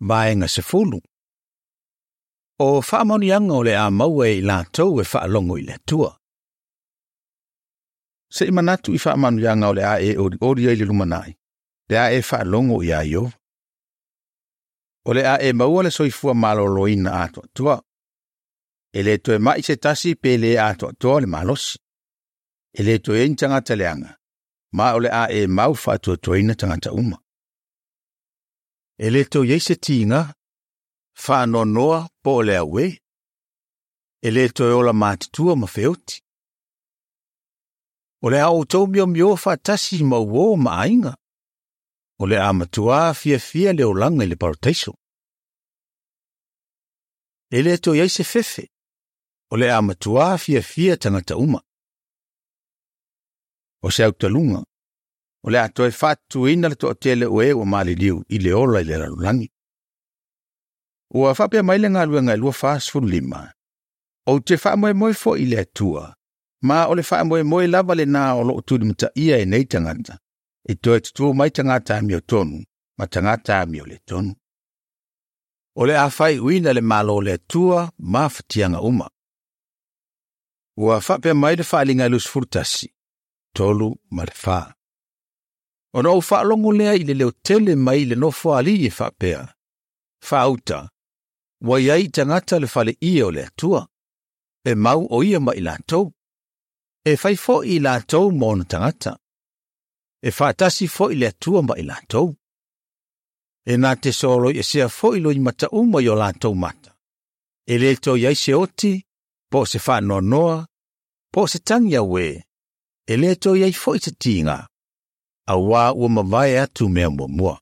Vaega 10. O faamanuiaga o le a maua e i latou e faalogo i le Atua. Se i manatu i faamanuiaga o le a e olioli ai i le lumanai, pe a e faalogo iā Ieova. O le a e maua le soifua maloloina atoatoa. E le toe mai se tasi pe le atoatoa le malosi. E le toe i ai ni tagata leaga, ma o le a e mau faatuatuaina tagata uma. E le toe i ai se tiga, faanoanoa po o le auē. E le toe ola matutua ma feoti. O le a outou miomioa faatasi ma uō ma aiga. O le a matuā fiafia le olaga i le parataiso. E le toe i ai se fefe. O le a matuā fiafia tagata uma. O se autaluga, o le a toe faatutuina le toatele o e ua maliliu i le ola i le lalolagi. Ua faapea mai le galuega e 25, Ou te faamoemoe foi i le Atua, ma o le faamoemoe lava lenā o loo tulimataia e nei tagata, e toe tutū mai tagata amiotonu ma tagata amioletonu. O le a faaiuina le Malo o le Atua ma fatiaga uma. Ua faapea mai le Faaaliga e 21, 3 ma le 4. Ona ou faalogo lea i le leo tele mai le nofoalii e faapea, Faauta, ua i ai i tagata le faleie o le Atua, e mau o ia ma i latou. E fai foi i latou ma ona tagata. E faatasi foi le Atua ma i latou. E na te soloiesea foi loimata uma i o latou mata. E le toe i ai se oti, po o se faanoanoa, po o se tagi auē, e le toe i ai foi se tiga, auā ua mavae atu mea muamua.